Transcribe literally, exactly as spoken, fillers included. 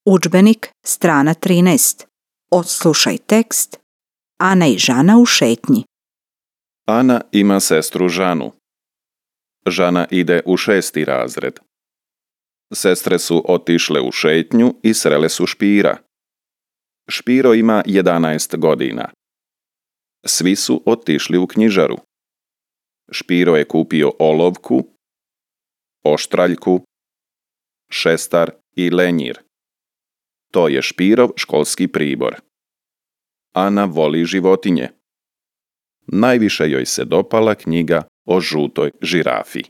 Udžbenik, strana trinaest. Odslušaj tekst. Ana i Žana u šetnji. Ana ima sestru Žanu. Žana ide u šesti razred. Sestre su otišle u šetnju i srele su Špira. Špiro ima jedanaest godina. Svi su otišli u knjižaru. Špiro je kupio olovku, oštraljku, šestar i lenjir. To je Špirov školski pribor. Ana voli životinje. Najviše joj se dopala knjiga o žutoj žirafi.